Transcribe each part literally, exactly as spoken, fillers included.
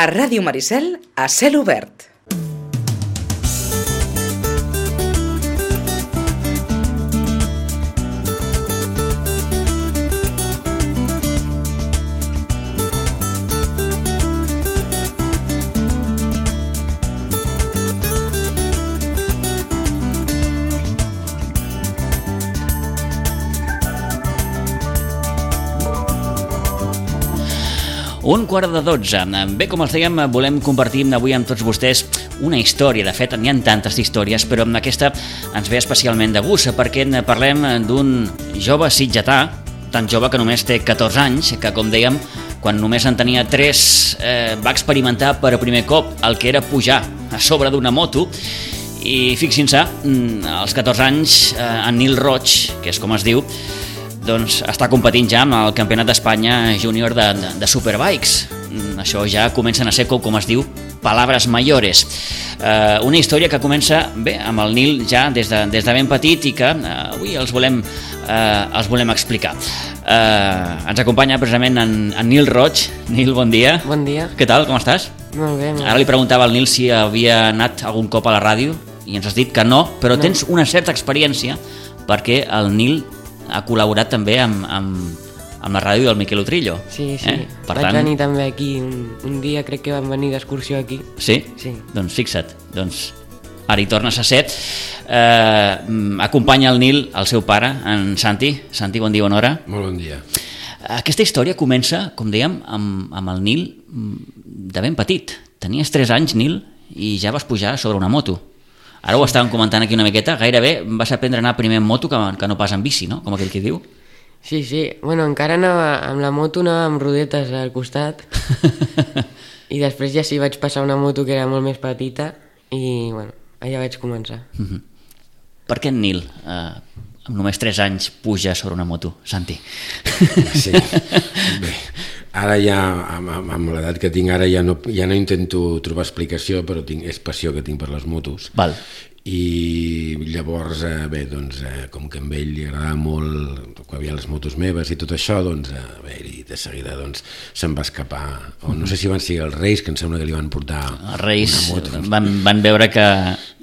A Ràdio Maricel, a cel obert. Un quart de dotze. Bé, com els dèiem, volem compartir avui amb tots vostès una història. De fet, n'hi ha tantes històries, però aquesta ens ve especialment de gust, perquè parlem d'un jove sitgetà, tan jove que només té catorze anys, que, com dèiem, quan només en tenia tres, eh, va experimentar per primer cop el que era pujar a sobre d'una moto. I fixin-se, als catorze anys, eh, en Nil Roig, que és com es diu, doncs està competint ja amb el Campionat d'Espanya júnior de, de, de Superbikes. Això ja comencen a ser, com, com es diu, palabras mayores. Eh, una història que comença bé amb el Nil ja des de, des de ben petit i que eh, avui els volem, eh, els volem explicar. Eh, ens acompanya precisament en, en Nil Roig. Nil, bon dia. Bon dia. Què tal, com estàs? Molt bé. Molt Ara li preguntava al Nil si havia anat algun cop a la ràdio i ens has dit que no, però no. Tens una certa experiència perquè el Nil ha col·laborat també amb, amb, amb la ràdio del Miquel Utrillo. Sí, sí. Eh? Per Vaig tant... venir també aquí. Un, un dia crec que van venir d'excursió aquí. Sí? Sí. Doncs fixa't. Doncs ara hi tornes a ser. Eh, acompanya el Nil, el seu pare, en Santi. Santi, bon dia, bona hora. Molt bon dia. Aquesta història comença, com dèiem, amb, amb el Nil de ben petit. Tenies tres anys, Nil, i ja vas pujar sobre una moto. Ara ho estàvem comentant aquí una miqueta, gairebé vas aprendre a anar primer en moto que, que no pas en bici, no? Com aquell que diu. Sí, sí. Bueno, encara anava amb la moto, anava amb rodetes al costat i després ja sí vaig passar una moto que era molt més petita i, bueno, allà vaig començar. Uh-huh. Per què en Nil, eh, amb només tres anys, puja sobre una moto, Santi? Sí, bé, ara ja, amb, amb l'edat que tinc ara, ja no, ja no intento trobar explicació, però tinc, és passió que tinc per les motos. Val. I llavors, eh, bé, doncs, eh, com que a ell li agradava molt, quan hi havia les motos meves i tot això, doncs, eh, bé, i de seguida doncs, se'n va escapar. O no sé si van ser els Reis, que em sembla que li van portar els Reis una moto. Van, van veure que,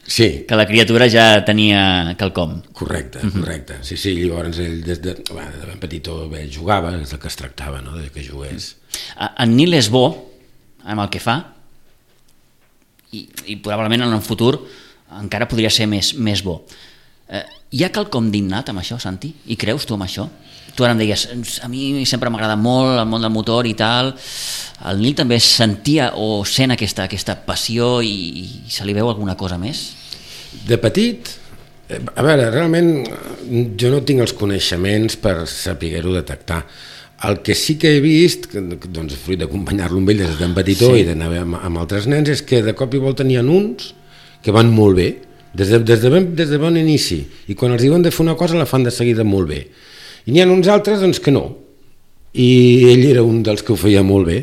sí. que la criatura ja tenia quelcom. Correcte, correcte. Sí, sí, llavors ell des de, bé, de ben petitó bé, jugava, és del que es tractava, no?, de que jugués. En Nil és bo amb el que fa i, i probablement en el futur encara podria ser més, més bo. Eh, hi ha quelcom d'innat amb això, Santi? I creus tu amb això? Tu ara em deies, a mi sempre m'agrada molt el món del motor i tal. El Nil també sentia o sent aquesta, aquesta passió i, i se li veu alguna cosa més? De petit, a veure, realment jo no tinc els coneixements per saber-ho detectar. El que sí que he vist, doncs, fruit d'acompanyar-lo amb ell des de tan petitó sí. I d'anar amb, amb altres nens, és que de cop i volta n'hi ha uns que van molt bé, des de, des, de ben, des de bon inici, i quan els diuen de fer una cosa la fan de seguida molt bé. I n'hi ha uns altres doncs, que no, i ell era un dels que ho feia molt bé,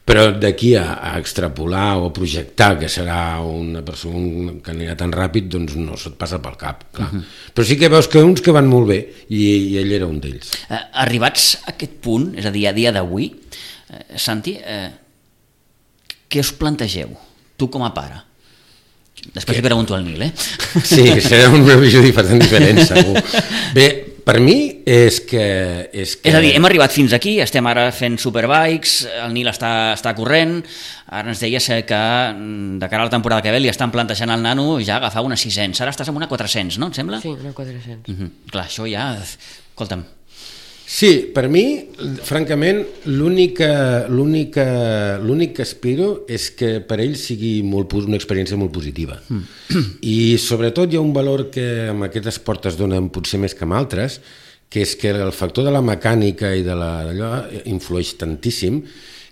però d'aquí a, a extrapolar o a projectar que serà una persona que anirà tan ràpid, doncs no se't passa pel cap, clar. Uh-huh. Però sí que veus que uns que van molt bé, i, i ell era un d'ells. Eh, arribats a aquest punt, és a dir, a dia d'avui, eh, Santi, eh, què us plantegeu, tu com a pare? Després li pregunto al Nil, eh? Sí, serà una visió diferent, diferent segur. Bé, per mi és que, és que... És a dir, hem arribat fins aquí, estem ara fent Superbikes, el Nil està, està corrent, ara ens deies que de cara a la temporada que ve li estan plantejant al nano ja agafar una sis-cents, ara estàs amb una quatre-cents, no, em sembla? Sí, una quatre-cents. Uh-huh. Clar, això ja... Escolta'm. Sí, per mi, francament, l'únic que aspiro és que per ell sigui molt, una experiència molt positiva. Mm. I sobretot hi ha un valor que amb aquest esport es dona potser més que amb altres, que és que el factor de la mecànica i de la, d'allò influeix tantíssim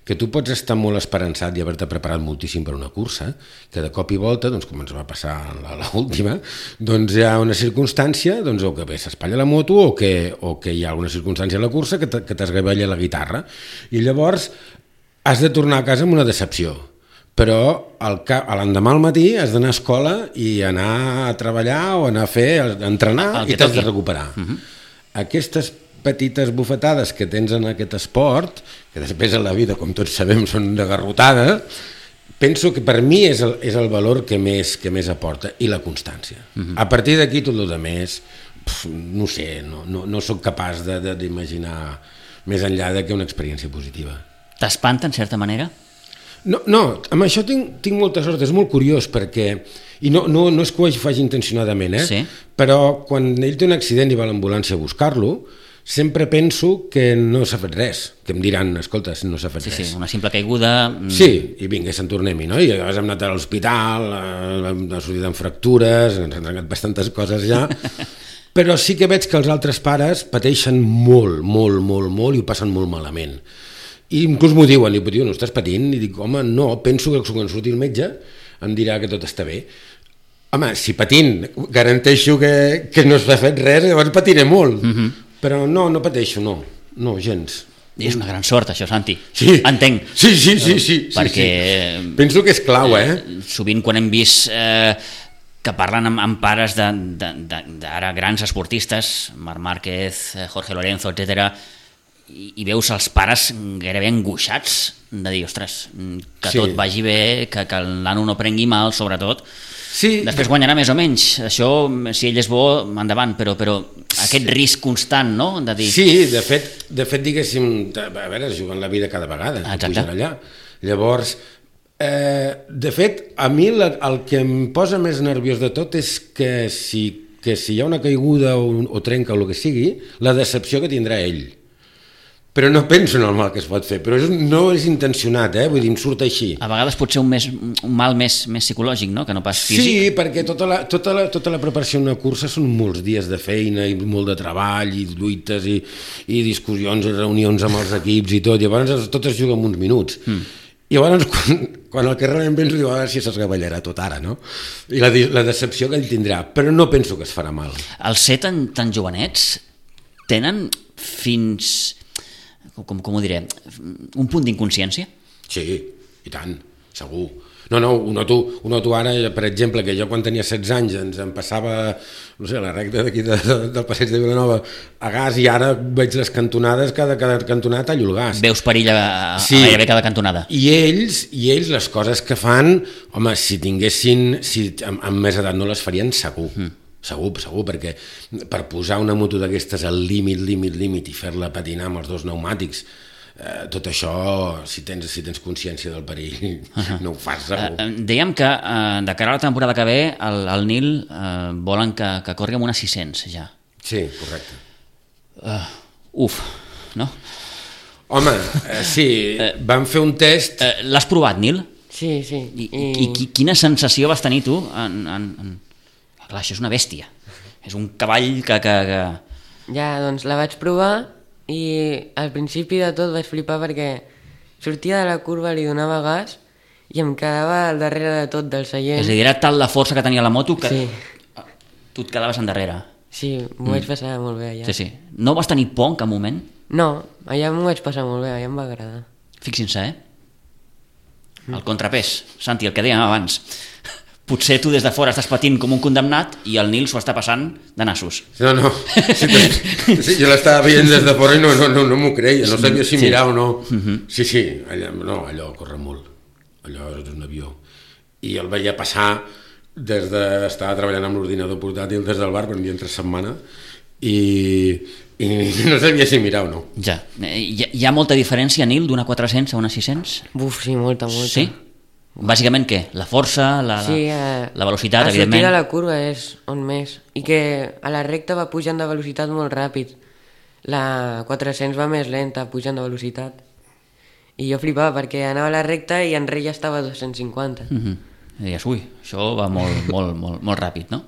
que tu pots estar molt esperançat i haver-te preparat moltíssim per una cursa, que de cop i volta, doncs, com ens va passar a l'última, doncs hi ha una circumstància, doncs, o que bé s'espatlla la moto o que, o que hi ha alguna circumstància a la cursa que t'esgavella la guitarra. I llavors has de tornar a casa amb una decepció. Però l'endemà al matí has d'anar a escola i anar a treballar o anar a fer, a entrenar i t'has de recuperar. Uh-huh. Aquestes petites bufetades que tens en aquest esport, que després en la vida, com tots sabem, són de garrotada, penso que per mi és el, és el valor que més, que més aporta, i la constància. Uh-huh. A partir d'aquí tot el més, pf, no sé, no, no, no sóc capaç de, de, d'imaginar més enllà de que una experiència positiva. T'espanta, en certa manera? No, no, amb això tinc, tinc molta sort, és molt curiós perquè, i no, no, no és que ho faci intencionadament, eh? Sí. Però quan ell té un accident i va a l'ambulància a buscar-lo, sempre penso que no s'ha fet res, que em diran, escolta, no s'ha fet sí, res. Sí, una simple caiguda... Sí, i vinga, se'n tornem-hi, no? I llavors hem anat a l'hospital, hem sortit amb fractures, ens han trencat bastantes coses ja, però sí que veig que els altres pares pateixen molt, molt, molt, molt i ho passen molt malament. I inclús m'ho diuen, i diuen, no estàs patint? I dic, home, no, penso que quan surti el metge em dirà que tot està bé. Home, si patint garanteixo que, que no s'ha fet res, llavors patiré molt. Mm-hmm. Però no, no pateixo, no, no, gens. És una gran sort, això, Santi. Sí. Entenc. Sí, sí, sí, sí. Perquè... Sí. Penso que és clau, eh? eh sovint quan hem vist eh, que parlen amb, amb pares d'ara grans esportistes, Marc Márquez, Jorge Lorenzo, etcètera, i, i veus els pares gairebé angoixats de dir, ostres, que sí. tot vagi bé, que, que el nano no prengui mal, sobretot. Sí. Després guanyarà més o menys, això, si ell és bo, endavant, però, però aquest sí. risc constant, no? De dir... Sí, de fet, de fet diguéssim, a veure, es juguen la vida cada vegada, exacte. Allà. Llavors, eh, de fet, a mi la, el que em posa més nerviós de tot és que si, que si hi ha una caiguda o, o trenca o el que sigui, la decepció que tindrà ell. Però no penso en el mal que es pot fer, però és, no és intencionat, eh? Vull dir, em surt així. A vegades pot ser un, més, un mal més, més psicològic, no?, que no pas físic. Sí, perquè tota la, tota, la, tota la preparació d'una cursa són molts dies de feina i molt de treball i lluites i, i discussions i reunions amb els equips i tot, i llavors tot es juga en uns minuts. Mm. I llavors quan, quan el que realment penso, diu, a veure si s'esgavellarà tot ara, no? I la, la decepció que ell tindrà, però no penso que es farà mal. Els ser tan, tan jovenets tenen fins... Com, com ho diré, un punt d'inconsciència? Sí, i tant, segur. No, no, ho noto, ho noto ara, per exemple, que jo quan tenia setze anys ens em passava, no sé, la recta d'aquí de, de, del passeig de Vilanova a gas, i ara veig les cantonades, cada, cada cantonada tallo el gas. Veus perill a, a, sí. a gairebé cada cantonada. I ells, i ells les coses que fan, home, si tinguessin, si amb, amb més edat no les farien segur. Mm. Segur, segur, perquè per posar una moto d'aquestes al límit, límit, límit i fer-la patinar amb els dos pneumàtics, eh, tot això, si tens, si tens consciència del perill, uh-huh. no ho fas segur. Uh, dèiem que uh, de cara a la temporada que ve el, el Nil uh, volen que, que corri amb una sis-cents ja. Sí, correcte. Uh, uf, no? Home, eh, sí, uh, vam fer un test... Uh, l'has provat, Nil? Sí, sí. I, i... i quina sensació vas tenir tu en... en, en... Clar, això és una bèstia, és un cavall que, que, que... Ja, doncs la vaig provar i al principi de tot vaig flipar perquè sortia de la curva, li donava gas i em quedava al darrere de tot del seient. És a dir, era tal la força que tenia la moto que sí. tu et quedaves endarrere. Sí, m'ho mm. vaig passar molt bé allà. Sí, sí. No vas tenir por en cap moment? No, allà m'ho vaig passar molt bé, allà em va agradar. Fixin-se, eh? El contrapès, Santi, el que dèiem abans. Potser tu des de fora estàs patint com un condemnat i el Nil s'ho està passant de nassos. No, no, sí, sí, jo l'estava veient des de fora i no, no, no, no m'ho creia, no sabia si mirar sí. o no. Uh-huh. Sí, sí, allò, no, allò corre molt, allò és un avió. I el veia passar des de... Estava treballant amb l'ordinador portàtil des del bar, quan havia entre setmana, i, i no sabia si mirar o no. Ja, hi ha, hi ha molta diferència, Nil, d'una quatre-cents a una sis-cents? Buf, sí, molta, molta. Sí? Bàsicament què? La força, la, sí, eh, la velocitat, a evidentment? A sortir de la curva és on més. I que a la recta va pujant de velocitat molt ràpid. La quatre-cents va més lenta, pujant de velocitat. I jo flipava perquè anava a la recta i enrere ja estava a dos-cents cinquanta. Mm-hmm. I deies, ui, això va molt, molt, molt, molt ràpid, no?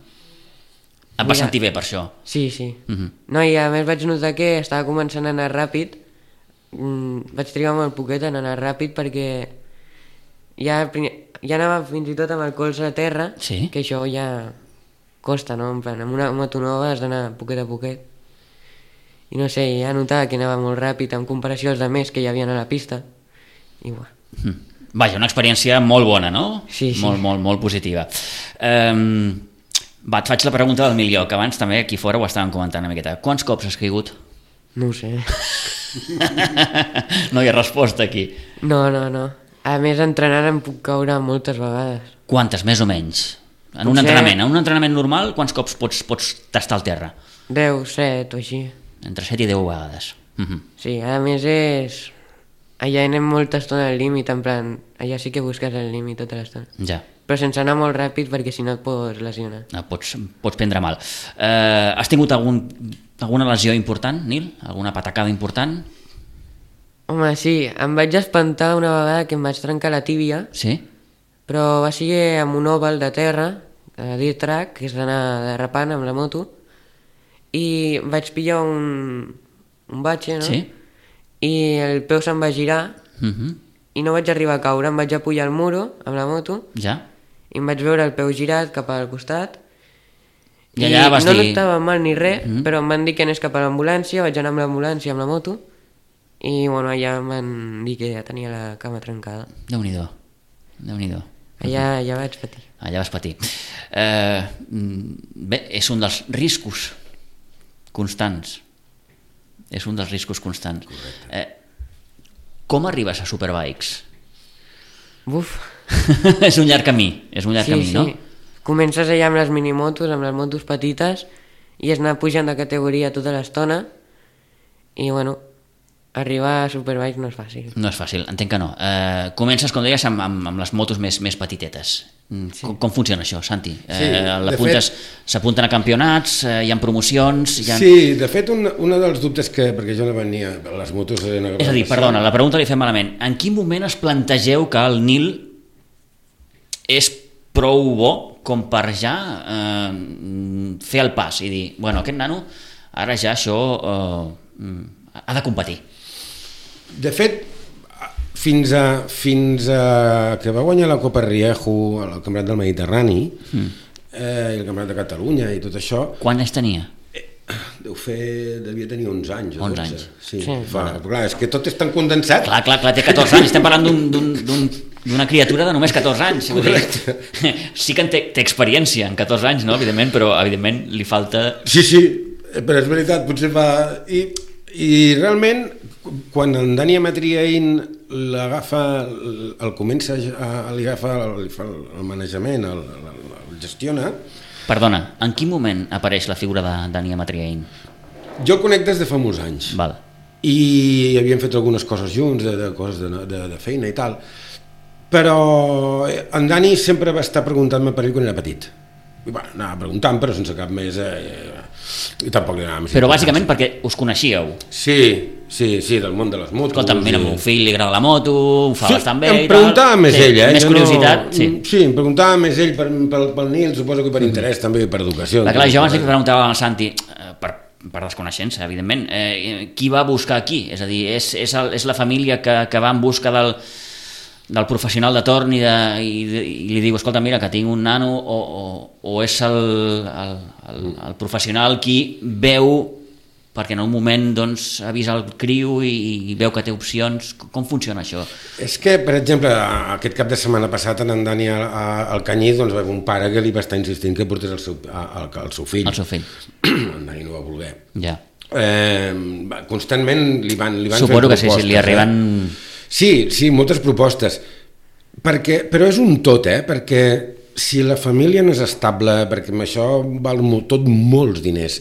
Et vas sentir bé per això? Sí, sí. Mm-hmm. No, i a més vaig notar que estava començant a anar ràpid. Mm, vaig trigar molt poquet en anar ràpid perquè... Ja, ja anava fins i tot amb el colze a terra, sí? Que això ja costa, no? En plan, amb una moto nova has d'anar poquet a poquet. I no sé, ja notava que anava molt ràpid en comparació als altres que hi havia a la pista. I bueno. Mm. Vaja, una experiència molt bona, no? Sí, sí. Molt, molt, molt positiva. Um, va, et faig la pregunta del milió, que abans també aquí fora ho estàvem comentant una miqueta. Quants cops has caigut? No ho sé. No hi ha resposta aquí. No, no, no. A més, entrenant em puc caure moltes vegades. Quantes, més o menys? En un Potser- entrenament, en un entrenament normal, quants cops pots, pots tastar al terra? deu, set o així. Entre set i deu vegades. Mhm. Sí, a més és... Allà anem molta estona al límit, en plan... Allà sí que busques el límit tota l'estona. Ja, Però sense anar molt ràpid perquè si no et pots lesionar. no, pots, pots prendre mal. Eh, has tingut algun, alguna lesió important, Nil? Alguna patacada important? Home, sí, em vaig espantar una vegada que em vaig trencar la tíbia, Sí? però va ser amb un oval de terra, de dirt track, que és d'anar derrapant amb la moto, i vaig pillar un, un batxe, no? Sí? I el peu se'm va girar Mhm. i no vaig arribar a caure, em vaig apujar al muro amb la moto Ja? i em vaig veure el peu girat cap al costat. I allà vas no dir- notava mal ni res, Mhm. però em van dir que anés cap a l'ambulància, vaig anar amb l'ambulància amb la moto i bueno, allà em van dir que ja tenia la cama trencada. Déu-n'hi-do. Déu-n'hi-do. Allà, allà vaig patir. Allà vas patir. Eh, mm, bé, és un dels riscos constants. És un dels riscos constants. Eh, com arribes a Superbikes? Buf. És un llarg camí, és un llarg Sí, camí, sí. no? Comences allà amb les minimotos, amb les motos petites, i és anar pujant de categoria tota l'estona, i bueno, arribar a Superbikes no és fàcil. No és fàcil, entenc que no. Eh, comences, com deies, amb, amb, amb les motos més, més petitetes. Sí. Com, com funciona això, Santi? Eh, Sí, de l'apuntes- S'apunten a campionats, eh, hi ha promocions... Hi ha... Sí, de fet, un, un dels dubtes que... Perquè jo no venia... Les motos eren... És a dir, perdona, la pregunta li fem malament. En quin moment es plantegeu que el Nil és prou bo com per ja eh, fer el pas i dir, bueno, aquest nano ara ja això eh, ha de competir? De fet, fins a, fins a que va guanyar la Copa Riejo al Campionat del Mediterrani mm. eh, i el Campionat de Catalunya i tot això, Quan es tenia? deu fer, devia tenir onze anys o onze dotze. anys. Sí, Sí. fa, clar, és que tot és tan condensat. Clar, clar, clar, té catorze anys, estem parlant d'un- d'un- d'un- d'una criatura de només catorze anys. Vull dir, sí que en té, té experiència en catorze anys, no? Evidentment, però evidentment li falta... Sí, sí, però és veritat, potser fa... I, i realment, quan en Dani Amatriain l'agafa, el comença a, li agafa, li fa el manejament, el, el, el gestiona, Perdona, en quin moment apareix la figura de Dani Amatriain? jo el conec des de fa molts anys. Val. I havíem fet algunes coses junts, de, de coses de, de, de feina i tal, però en Dani sempre va estar preguntant-me per ell quan era petit. I bueno, anava preguntant, però sense cap més... Eh, i tampoc li anava més Però importància. bàsicament perquè us coneixíeu. Sí, sí, sí, del món de les motos. Escolta, mira, i... al meu fill li agrada la moto, ho fa Sí, bastant bé em i tal. preguntava més Sí, ell, eh? Més Jo curiositat, no... sí. Sí, em preguntava més ell per, per, pel Nil, suposo que per interès també, per educació. Clar, clar, jo abans li preguntava al Santi, eh, per, per desconeixença, evidentment, eh, qui va buscar aquí? És a dir, és, és, el, és la família que, que va en busca del, del professional de torn i, de, i, de, i li diu, escolta, mira, que tinc un nano, o, o, o és el, el, el, el professional qui veu, perquè en un moment doncs, avisa el criu i, i veu que té opcions. Com funciona això? És que, per exemple, aquest cap de setmana passat en Dani al, al Canyís doncs, va haver un pare que li va estar insistint que portés el seu, el, el seu fill. El seu fill. En Dani no va voler. Ja. Eh, constantment li van, li van Suposo fent que sí, propostes. sí, li arriben... Eh? Sí, sí, moltes propostes. Perquè, però és un tot, eh? Perquè si la família no és estable, perquè amb això val molt, tot molts diners,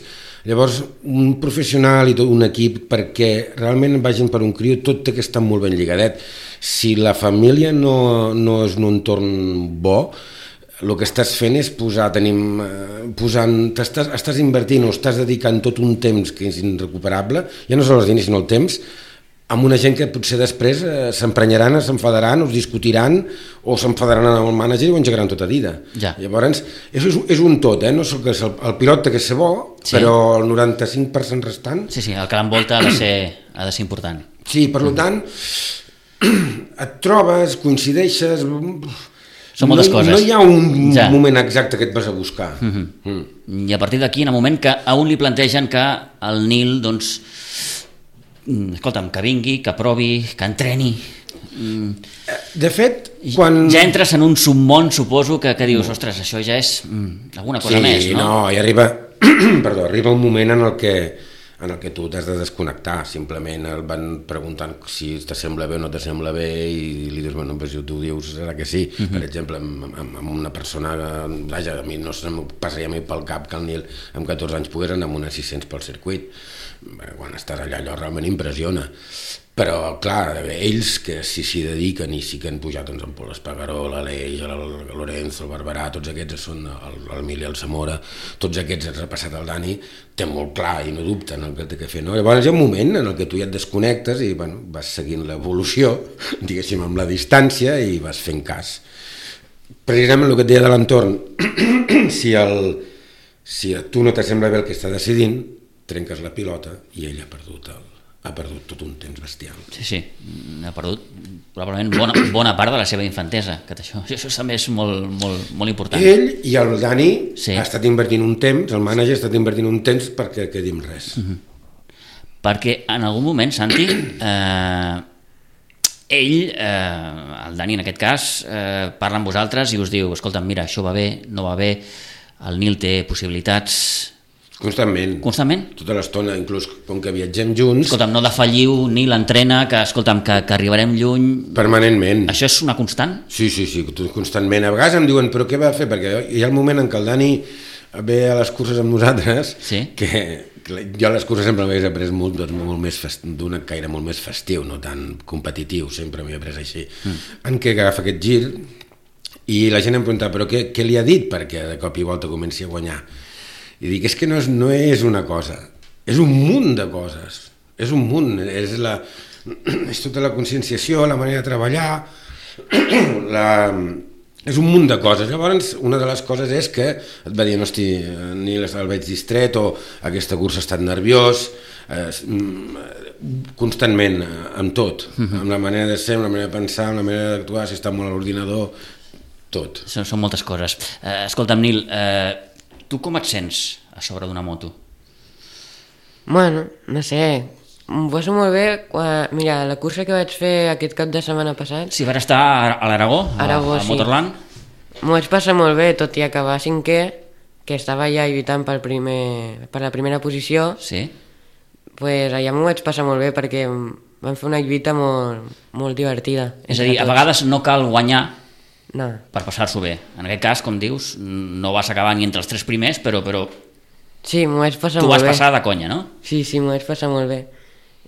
llavors un professional i tot un equip perquè realment vagin per un criu, tot té que estar molt ben lligadet. Si la família no, no és un entorn bo, el que estàs fent és posar, tenim, eh, posant, estàs, estàs invertint o estàs dedicant tot un temps que és irrecuperable, ja no són els diners sinó el temps, amb una gent que potser després eh, s'emprenyaran, s'enfadaran, o es discutiran, o s'enfadaran amb el mànager i ho engegaran tota vida. Ja. Llavors, és, és un tot, eh? No és que el, el pilot té que ser bo, Sí. però el noranta-cinc per cent restant... Sí, sí, el que l'envolta ha de ser, ha de ser important. Sí, per mm. tant, et trobes, coincideixes... Són moltes no, coses. No hi ha un Ja. moment exacte que et vas a buscar. Mm-hmm. Mm. I a partir d'aquí, en el moment que a un li plantegen que el Nil, doncs, mm, escolta'm, que vingui, que provi, que entreni... Mm, De fet, quan... ja entres en un submón, suposo, que, que dius, ostres, això ja és mm, alguna cosa sí, més, no? no, i arriba, perdó, arriba un moment en el que en el que tu t'has de desconnectar, simplement el van preguntant si t'assembla bé o no t'assembla bé i li dius, bueno, pues si tu dius serà que sí. Uh-huh. Per exemple, amb, amb, amb una persona, vaja, a mi no se'm passaria mai pel cap que el Nil amb catorze anys pogués anar amb una sis-cents pel circuit. Quan estàs allà allò realment impressiona. Però, clar, ells que si s'hi dediquen i sí que han pujat doncs, en Pol Espargaró, l'Aleix, el Lorenzo, el Barberà, tots aquests són el, el Mil i el Zamora, tots aquests han repassat el Dani, té molt clar i no dubta en el que té que fer. No? Llavors hi ha un moment en el que tu ja et desconnectes i bueno, vas seguint l'evolució, diguéssim, amb la distància i vas fent cas. Precisament el que et deia de l'entorn, si, el, si a tu no t'assembla bé el que està decidint, trenques la pilota i ell ha perdut el ha perdut tot un temps bestial. Sí, sí, ha perdut probablement bona, bona part de la seva infantesa, que això, això també és molt, molt, molt important. Ell i el Dani sí. ha estat invertint un temps, el mànager ha estat invertint un temps perquè quedi en res. Uh-huh. Perquè en algun moment, Santi, eh, ell, eh, el Dani en aquest cas, eh, parla amb vosaltres i us diu, escolta, mira, això va bé, no va bé, el Nil té possibilitats... Constantment. Constantment? Tota l'estona, inclús com que viatgem junts... Escolta'm, no defalliu, ni l'entrena, que, escolta'm, que, que arribarem lluny... Permanentment. Això és una constant? Sí, sí, sí, constantment. A vegades em diuen, però què va fer? Perquè hi ha el moment en què el Dani ve a les curses amb nosaltres, sí? que jo a les curses sempre m'hagués après molt, molt més fest... d'un caire molt més festiu, no tan competitiu, sempre m'he après així. Mm. En què agafa aquest gir i la gent em pregunta, però què, què li ha dit perquè de cop i volta comenci a guanyar? I dic, és que no és, no és una cosa, és un munt de coses, és un munt, és, la, és tota la conscienciació, la manera de treballar, la, és un munt de coses. Llavors, una de les coses és que et va dir, no, hosti, ni el veig distret, o aquesta cursa ha estat nerviós, eh, constantment, amb tot, uh-huh. amb la manera de ser, amb la manera de pensar, amb la manera d'actuar, si està molt a l'ordinador, tot. Són, són moltes coses. Eh, escolta'm, Nil, eh, tu com et sents a sobre d'una moto? Bueno, no sé, m'ho passo molt bé. Quan, mira, la cursa que vaig fer aquest cap de setmana passat... Sí, vas estar a l'Aragó, Aragó, a, a sí. Motorland? M'ho vaig passar molt bé, tot i acabar cinquè, que estava ja lluitant pel primer, per la primera posició. Sí. Pues allà m'ho vaig passar molt bé perquè vam fer una lluita molt, molt divertida. És a dir, a vegades no cal guanyar no. per passar-s'ho bé. En aquest cas, com dius, no vas acabar ni entre els tres primers, però, però... sí, m'ho vaig passar tu molt bé. Tu vas passar de conya, no? Sí, sí, m'ho vaig passar molt bé.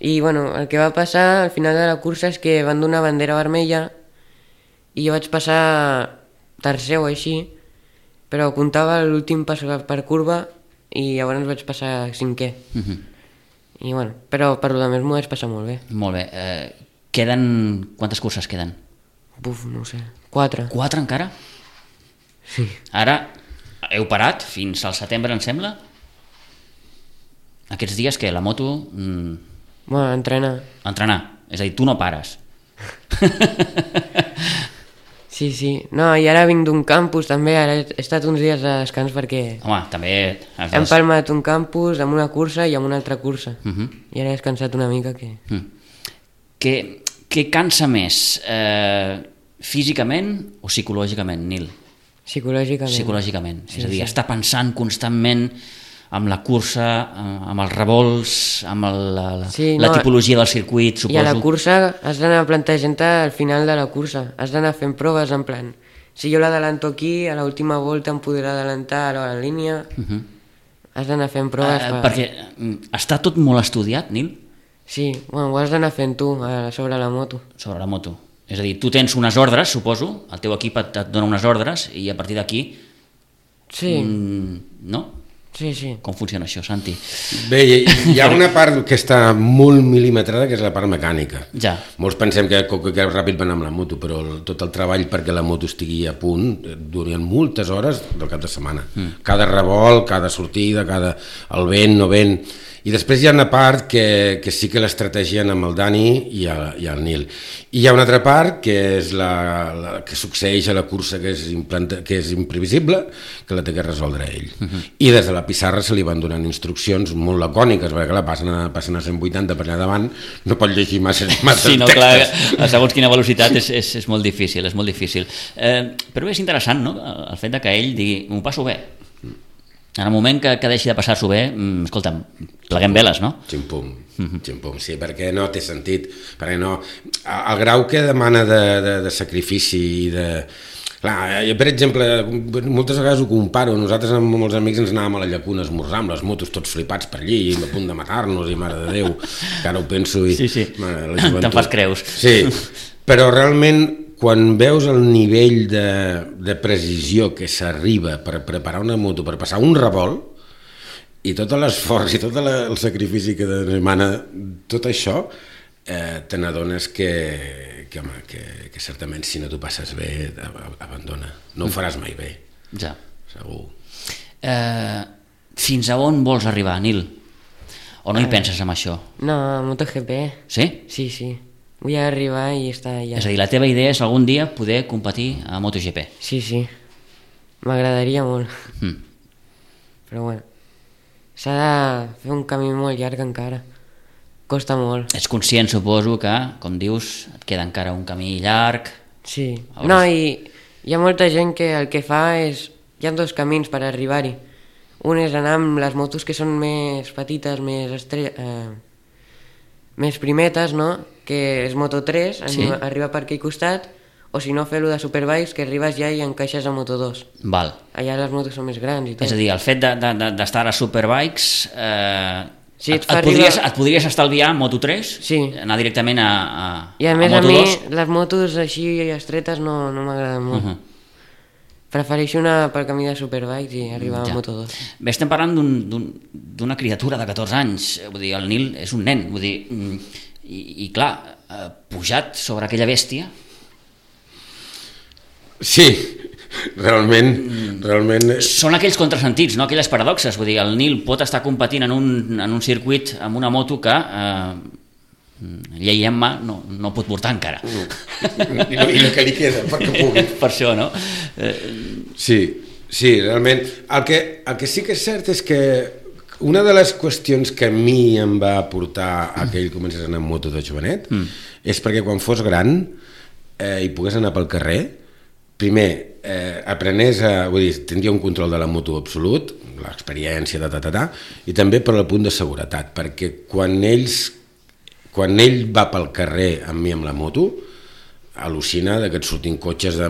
I bueno, el que va passar al final de la cursa és que van donar bandera vermella i jo vaig passar tercer o així, però comptava l'últim pas per curva i llavors vaig passar cinquè. Uh-huh. I bueno, però per lo demés m'ho vaig passar molt bé. Molt bé. Eh, queden... Quantes curses queden? Buf, no sé, quatre. Quatre encara? Sí. Ara heu parat fins al setembre, em sembla? Aquests dies que la moto... Mm, bueno, entrenar. Entrenar, és a dir, tu no pares. Sí, sí. No, i ara vinc d'un campus també, ara he estat uns dies de descans perquè... Home, també... Has hem palmat un campus amb una cursa i amb una altra cursa. Uh-huh. I ara he descansat una mica que... Uh-huh. Què, què cansa més, eh, físicament o psicològicament, Nil? Psicològicament. Psicològicament, sí, és a dir, sí. estar pensant constantment amb la cursa, amb els revolts, amb el, la, sí, la no, tipologia del circuit, suposo. I a la cursa has d'anar plantejant-te al final de la cursa, has d'anar fent proves en plan, si jo l'adelanto aquí, a l'última volta em podrà adelantar a la línia, uh-huh. has d'anar fent proves. Uh, per... Perquè està tot molt estudiat, Nil? Sí, bueno, ho has d'anar fent tu sobre la moto. Sobre la moto. És a dir, tu tens unes ordres, suposo, el teu equip et, et dona unes ordres i a partir d'aquí... Sí. Mm, no? Sí, sí. Com funciona això, Santi? Bé, hi ha una part que està molt mil·limetrada, que és la part mecànica. Ja. Molts pensem que, que, que ràpid va anar amb la moto, però el, tot el treball perquè la moto estigui a punt durien moltes hores del cap de setmana. Mm. Cada revolt, cada sortida, cada... el vent, no vent... I després hi ha una part que, que sí que l'estrategien amb el Dani i el, i el Nil. I hi ha una altra part que és la, la que succeeix a la cursa, que és, implanta, que és imprevisible, que la té que resoldre ell. Uh-huh. I des de la pissarra se li van donant instruccions molt lacòniques, perquè clar, passen a, passen a cent vuitanta per allà davant, no pot llegir massa, massa sí, no, textes. Clar, segons quina velocitat és, és, és molt difícil, és molt difícil. Eh, però és interessant, no?, el fet de que ell digui, m'ho passo bé. En el moment que, que deixi de passar-s'ho bé, escolta'm, pleguem veles, no? Ximpum, ximpum, sí, perquè no té sentit, perquè no... El grau que demana de, de, de sacrifici i de... Clar, jo, per exemple, moltes vegades ho comparo, nosaltres amb molts amics ens anàvem a la llacuna a esmorzar amb les motos tots flipats per allí, a punt de matar-nos i mare de Déu, que ara ho penso i... Sí, sí, te'n fas creus. Sí, però realment quan veus el nivell de, de precisió que s'arriba per preparar una moto, per passar un revolt, i tot l'esforç i tot la, el sacrifici que demana tot això, eh, te n'adones que, que, home, que, que certament si no t'ho passes bé, abandona. No ho faràs mai bé. Ja. Segur. Eh, fins a on vols arribar, Nil? O no hi penses en això? No, MotoGP. Sí? Sí, sí. Vull arribar i estar allà. És a dir, la teva idea és algun dia poder competir a MotoGP. Sí, sí. M'agradaria molt. Mm. Però bueno, s'ha de fer un camí molt llarg encara. Costa molt. Ets conscient, suposo, que, com dius, et queda encara un camí llarg. Sí. Hauràs... No, i hi ha molta gent que el que fa és... Hi ha dos camins per arribar-hi. Un és anar amb les motos que són més petites, més estre... eh, més primetes, no? Que és Moto tres, Sí. arriba, arriba per aquell costat, o si no fer-lo de Superbikes, que arribes ja i encaixes a Moto dos. Val. Allà les motos són més grans i tot. És a dir, el fet de, de, de, d'estar a Superbikes... Eh, Sí, et, et fa et, podries, arribar- et podries estalviar a Moto tres? Sí. Anar directament a, a, I a més a, Moto mi dos? les motos així estretes no, no m'agraden molt. Uh-huh. Prefereixo anar pel camí de Superbikes i arribar Ja. a Moto dos. Bé, estem parlant d'un, d'un, d'una criatura de catorze anys, vull dir, el Nil és un nen, vull dir, mm, i, i clar, eh, pujat sobre aquella bèstia, Sí, realment, realment... són aquells contrasentits, no? Aquelles paradoxes, vull dir, el Nil pot estar competint en un, en un circuit amb una moto que eh, llei en mà no, no pot portar encara. I no, i no que li queda, perquè pugui. Per això, no? Eh, Sí, sí, realment. El que, el que sí que és cert és que una de les qüestions que a mi em va portar a que ell comencés a anar amb moto de jovenet mm. és perquè quan fos gran eh, i pogués anar pel carrer, primer, eh, aprenés a... Vull dir, tindria un control de la moto absolut, l'experiència, ta, ta, ta, ta, i també per al punt de seguretat, perquè quan ells... Quan ell va pel carrer amb mi amb la moto, al·lucina de que et surtin cotxes... De...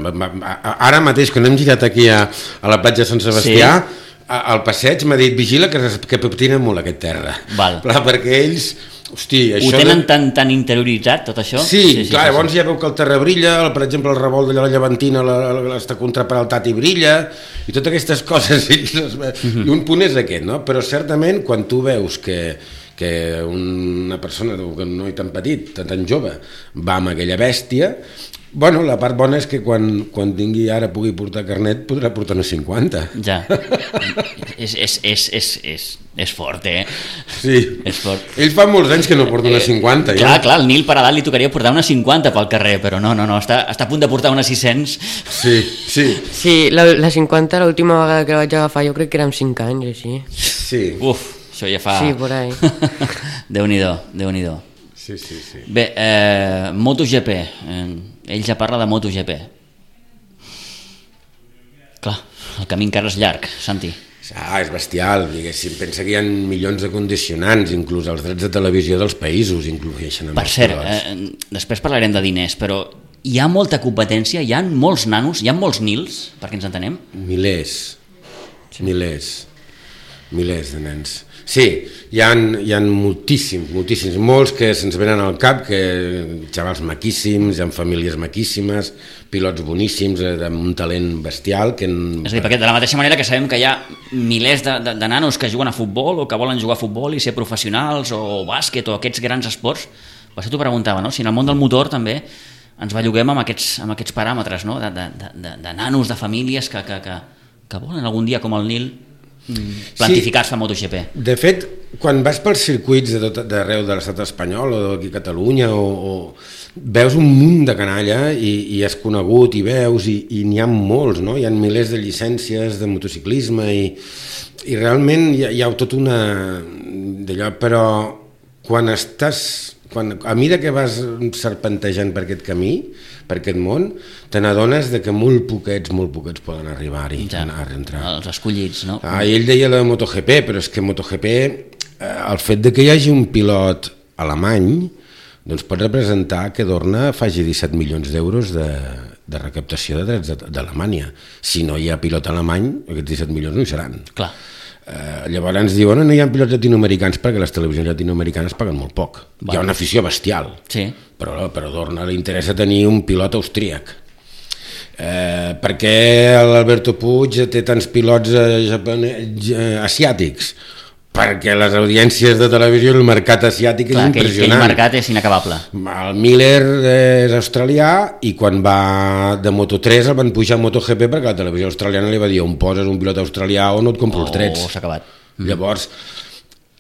Ara mateix, quan hem girat aquí a, a la platja de Sant Sebastià, sí. al passeig m'ha dit, vigila que, que patina molt aquest terra. Val. Clar, perquè ells... Hosti, ho això tenen de... tan, tan interioritzat, tot això? Sí, sí, sí clar, sí, llavors sí. ja veu que el terra brilla, el, per exemple, el revolt de la Llevantina la, la, la, està contraperaltat i brilla, i totes aquestes coses, i, mm-hmm. i un punt és aquest, no? Però certament, quan tu veus que, que una persona, un noi tan petit, tan, tan jove, va amb aquella bèstia, bueno, la part bona és que quan, quan tingui ara pugui portar carnet, podrà portar una cinquanta. Ja. és, és, és, és, és, és fort, eh? Sí. És fort. Ell fa molts anys que no porta una cinquanta. Eh, clar, ja. clar, el Nil per edat li tocaria portar una cinquanta pel carrer, però no, no, no, està, està a punt de portar una sis-cents. Sí, sí. Sí, la, la cinquanta, l'última vegada que la vaig agafar, jo crec que era amb cinc anys, així. Sí. Uf, això ja fa... Sí, por ahí. Déu-n'hi-do, Déu-n'hi-do. Sí, sí, sí. Bé, eh, MotoGP, eh, ell ja parla de MotoGP. Clar, el camí encara és llarg, Santi. Ah, és bestial, diguéssim. Pensa que hi ha milions de condicionants, inclús els drets de televisió dels països inclueixen amb Per els cert, pilots. eh, després parlarem de diners, però hi ha molta competència, hi ha molts nanos, hi ha molts Nils, perquè ens entenem? Milers, milers, milers de nens. Sí, hi ha, hi ha moltíssims, moltíssims, molts que se'ns venen al cap, que xavals maquíssims, hi ha famílies maquíssimes, pilots boníssims, eh, amb un talent bestial. Que en... És a dir, perquè de la mateixa manera que sabem que hi ha milers de, de, de nanos que juguen a futbol o que volen jugar a futbol i ser professionals o bàsquet o aquests grans esports, per això t'ho preguntava, no? Si en el món del motor també ens belluguem amb aquests, amb aquests paràmetres, no? de, de, de, de nanos, de famílies que, que, que, que volen algun dia, com el Nil, plantificar-se a MotoGP. De fet, quan vas pels circuits de tot, d'arreu de l'estat espanyol o d'aquí a Catalunya o, o veus un munt de canalla i, i has conegut i veus i, i n'hi ha molts, no? Hi ha milers de llicències de motociclisme i, i realment hi ha, hi ha tot una d'allò, però quan estàs quan, a mesura que vas serpentejant per aquest camí, per aquest món, te n'adones de que molt poquets, molt poquets poden arribar-hi, ja, anar a entrar. Els escollits, no? Ah, ell deia la MotoGP, però és que MotoGP, eh, el fet de que hi hagi un pilot alemany, doncs pot representar que Dorna faci disset milions d'euros de, de recaptació de drets d'Alemanya. Si no hi ha pilot alemany, aquests disset milions no hi seran. Clar. Eh, llavors ens diuen no hi ha pilots latinoamericans perquè les televisions latinoamericanes paguen molt poc. Va. Hi ha una afició bestial, sí. però, però a Dorna li interessa tenir un pilot austríac. Eh, perquè l'Alberto Puig té tants pilots eh, japonès, eh, asiàtics? Perquè les audiències de televisió, el mercat asiàtic és Clar, impressionant. Aquell mercat és inacabable. El Miller és australià i quan va de Moto tres el van pujar a MotoGP perquè la televisió australiana li va dir on poses un pilot australià o no et compro oh, els drets. S'ha acabat. Mm. Llavors,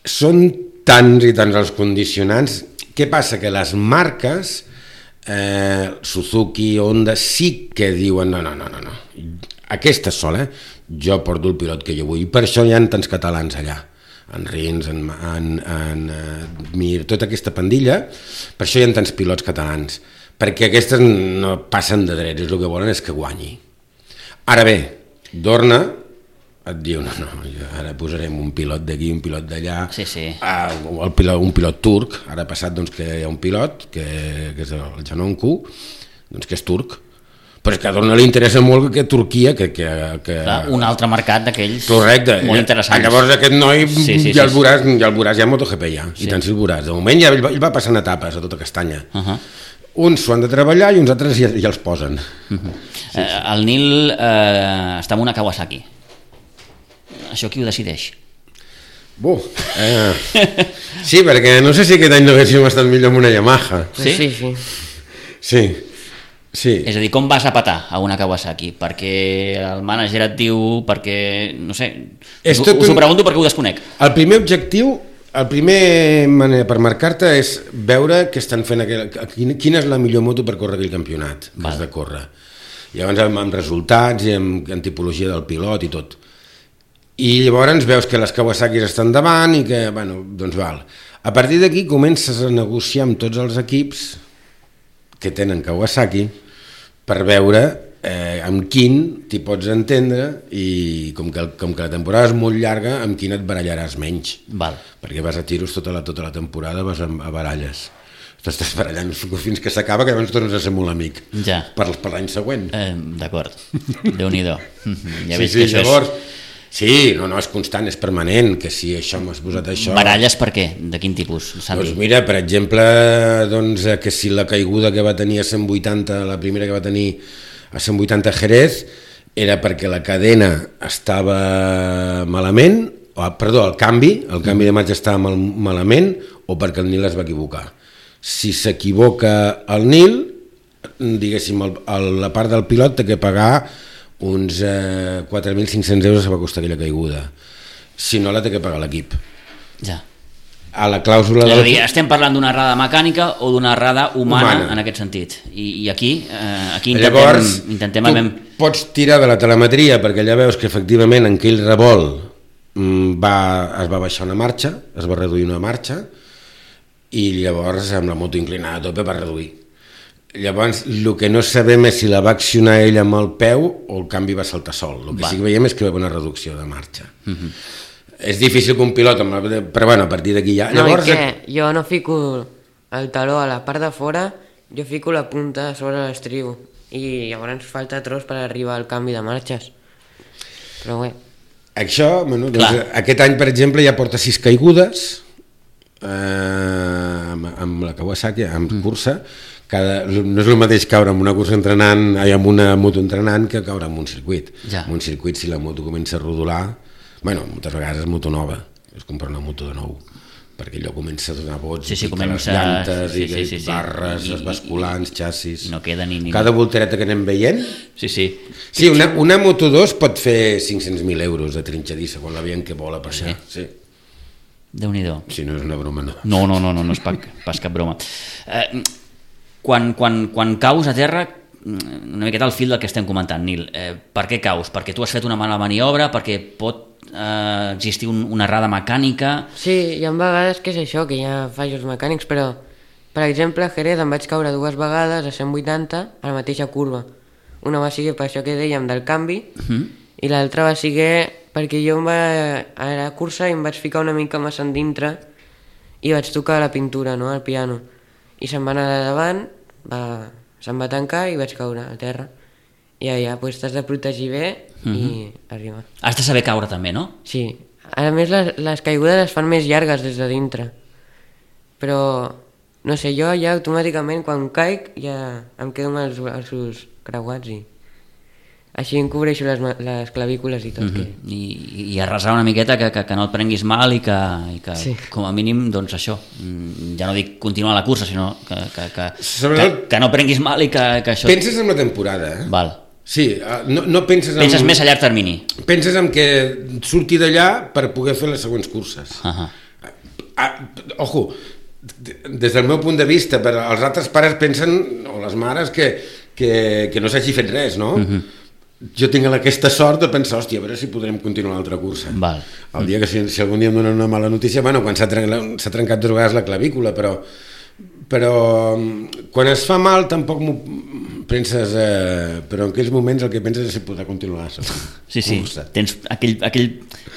són tants i tants els condicionants. Què passa? Que les marques, eh, Suzuki, Honda, sí que diuen no, no, no, no, no. Aquesta sola, jo porto el pilot que jo vull. I per això hi ha tants catalans allà. En Rins, en, en, en uh, Mir, tota aquesta pandilla, per això hi ha tants pilots catalans, perquè aquestes no passen de drets, el que volen és que guanyi. Ara bé, Dorna et diu, no, no, ara posarem un pilot d'aquí, un pilot d'allà, sí, sí. uh, el pilot, un pilot turc, ara ha passat doncs, que hi ha un pilot, que, que és el Janonku, doncs, que és turc, però és que a Dorna li interessa molt que Turquia que, que, que... Clar, un altre mercat d'aquells correcte, molt interessants. Llavors aquest noi sí, sí, ja, el veuràs, sí. ja el veuràs, ja MotoGP ja, sí. I tant si el veuràs. De moment ja ell va, ell va passant etapes a tota castanya. Uh -huh. Uns s'ho han de treballar i uns altres ja, ja els posen. Uh -huh. sí, sí. Eh, el Nil eh, està amb una Kawasaki. Això qui ho decideix? Buh, eh. Sí, perquè no sé si aquest any no haguéssim estat millor amb una Yamaha. Sí, sí, sí. Sí. Sí. És a dir, com vas a petar a una Kawasaki? Perquè el mànager et diu, perquè, no sé, us, us ho pregunto perquè ho desconec. El primer objectiu, el primer manera per marcar-te és veure què estan fent, aquell, quina és la millor moto per córrer aquell campionat que has de córrer. Llavors amb, amb resultats i amb, amb tipologia del pilot i tot. I llavors veus que les Kawasakis estan davant i que, bueno, doncs val. A partir d'aquí comences a negociar amb tots els equips que tenen Kawasaki per veure eh, amb quin t'hi pots entendre i com que, com que la temporada és molt llarga, amb quin et barallaràs menys. Val. Perquè vas a tiros tota la, tota la temporada, vas a, a baralles. T'estàs barallant fins que s'acaba, que llavors tornes a ser molt amic. Ja. Per, per l'any següent. Eh, D'acord. Déu-n'hi-do. Ja sí, sí, llavors... És... Sí, no, no, és constant, és permanent, que si això m'has posat això... Baralles per què? De quin tipus, Santi? Doncs mira, per exemple, doncs, que si la caiguda que va tenir a cent vuitanta, la primera que va tenir a cent vuitanta Jerez, era perquè la cadena estava malament, o, perdó, el canvi, el canvi de marxa estava mal, malament, o perquè el Nil es va equivocar. Si s'equivoca el Nil, diguéssim, el, el, la part del pilot té que pagar uns eh, quatre mil cinc-cents euros va costar aquella caiguda. Si no, la té que pagar l'equip. Ja. A la clàusula... És a dir, estem parlant d'una errada mecànica o d'una errada humana, humana en aquest sentit. I, i aquí, eh, aquí intentem... Llavors, intentem tu amem... pots tirar de la telemetria perquè ja veus que efectivament en aquell revolt va, es va baixar una marxa, es va reduir una marxa i llavors amb la moto inclinada a tope va reduir. Llavors, el que no sabem és si la va accionar ell amb el peu o el canvi va saltar sol. El que va. Sí que veiem és que va haver una reducció de marxa. Uh-huh. És difícil que un pilot, amb la... però bueno, a partir d'aquí ja... No, Llavors, i que jo no fico el taló a la part de fora, jo fico la punta sobre l'estriu i llavors falta tros per arribar al canvi de marxes. Però bé. Això, bueno, doncs, aquest any, per exemple, ja porta sis caigudes eh, amb, amb la Kawasaki, amb mm. cursa. Cada, no és el mateix caure amb una cursa entrenant, ai, amb una moto entrenant que caure amb un circuit. Ja. En un circuit, si la moto comença a rodolar, bueno, moltes vegades és moto nova, és comprar una moto de nou, perquè allò comença a donar vots, sí, sí, i comença... les llantes, sí, i, sí, sí, sí. barres, I, els basculants, xassis... No queda ni... ni... Cada voltereta que anem veient... Sí, sí. Sí, una, una moto dos pot fer cinc-cents mil euros de trinxadissa quan la veiem que vola per allà. Sí. Déu-n'hi-do. Si no és una broma, no. No, no, no, no, no és pas, pas cap broma. Eh, quan, quan, quan caus a terra, una miqueta al fil del que estem comentant, Nil, eh, per què caus? Perquè tu has fet una mala maniobra? Perquè pot eh, existir un, una errada mecànica? Sí, hi ha vegades que és això, que hi ha fallos mecànics, però Per exemple, a Jerez em vaig caure dues vegades a cent vuitanta a la mateixa curva. Una va ser per això que dèiem del canvi, uh-huh. i l'altra va ser perquè jo em va, a la cursa em vaig ficar una mica massa endintre i vaig tocar la pintura, no?, al piano. I se'm va anar de davant, va, se'm va tancar i vaig caure a terra. I ja, doncs t'has de protegir bé uh-huh. i arribar. Has de saber caure també, no? Sí. A més, les, les caigudes es fan més llargues des de dintre. Però, no sé, jo ja automàticament quan caic ja em quedo amb els braços creuats i així em cobreixo les, les clavícules i tot. Uh-huh. que... I, i arrasar una miqueta que, que, que no et prenguis mal i que, i que sí. com a mínim, doncs això, ja no dic continuar la cursa, sinó que, que, que, Sobretot, que, que no prenguis mal i que, que això... Penses en la temporada, eh? Val. Sí, no, no penses en... Penses més a llarg termini. Penses en que surti d'allà per poder fer les següents curses. Uh-huh. Ah, ojo, des del meu punt de vista, però els altres pares pensen, o les mares, que, que, que no s'hagi fet res, no? Uh-huh. Jo tinc aquesta sort de pensar, hòstia, a veure si podrem continuar l'altra cursa. Val. El dia que si, si algun dia em donen una mala notícia, bueno, quan s'ha trencat, s'ha trencat dues vegades la clavícula, però, però quan es fa mal tampoc m'ho penses, eh, però en aquells moments el que penses és si podrà continuar la sí, sí, cursa. Tens aquell, aquell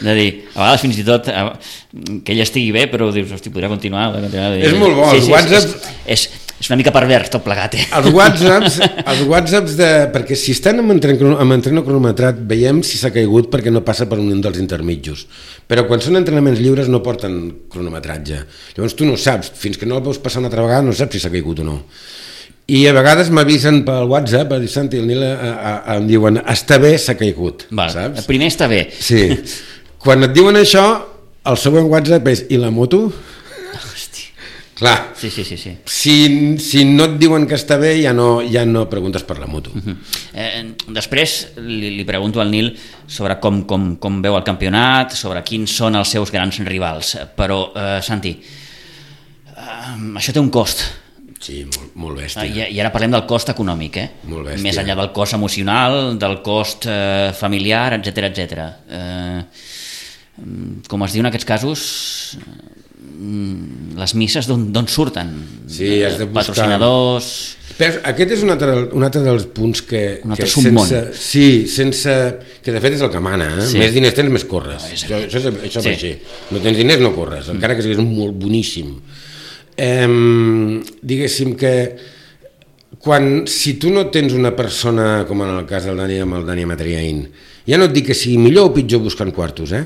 de dir, a vegades fins i tot eh, que ell estigui bé, però dius, hosti, podrà continuar, podrà continuar és molt bo, sí, els sí, whatsapps és, és, és una mica pervers tot plegat, eh? els whatsapps, els whatsapps de, perquè si estan amb entreno, amb entreno cronometrat veiem si s'ha caigut perquè no passa per un dels intermitjos, però quan són entrenaments lliures no porten cronometratge, llavors tu no saps, fins que no el veus passar una altra vegada no saps si s'ha caigut o no. I a vegades m'avisen pel WhatsApp, a dir, Santi, el Nil a, a, a, em diuen, està bé, s'ha caigut, Val. saps? Primer està bé. Sí. Quan et diuen això, el següent WhatsApp és, i la moto? Hosti. Clar, sí, sí, sí, sí. Si, si no et diuen que està bé, ja no, ja no preguntes per la moto. Uh-huh. eh, després li, li pregunto al Nil sobre com, com, com veu el campionat, sobre quins són els seus grans rivals, però, eh, Santi, eh, això té un cost. Sí, molt, molt bèstia. I, I ara parlem del cost econòmic, eh? Molt bèstia. Més enllà del cost emocional, del cost eh, familiar, etcètera, etcètera. Eh, com es diu en aquests casos, les misses d'on surten? Sí, has de buscar... Patrocinadors... Però aquest és un altre, un altre dels punts que... Un altre que submón. sense, sí, sense... Que de fet és el que mana, eh? Sí. Més diners tens, més corres. No, és això, això, és, això sí. És així. No tens diners, no corres, encara que siguis molt boníssim. Eh, diguéssim que quan, si tu no tens una persona com en el cas del Dani amb el Dani Matriain, ja no et dic que sigui millor o pitjor buscant quartos, eh?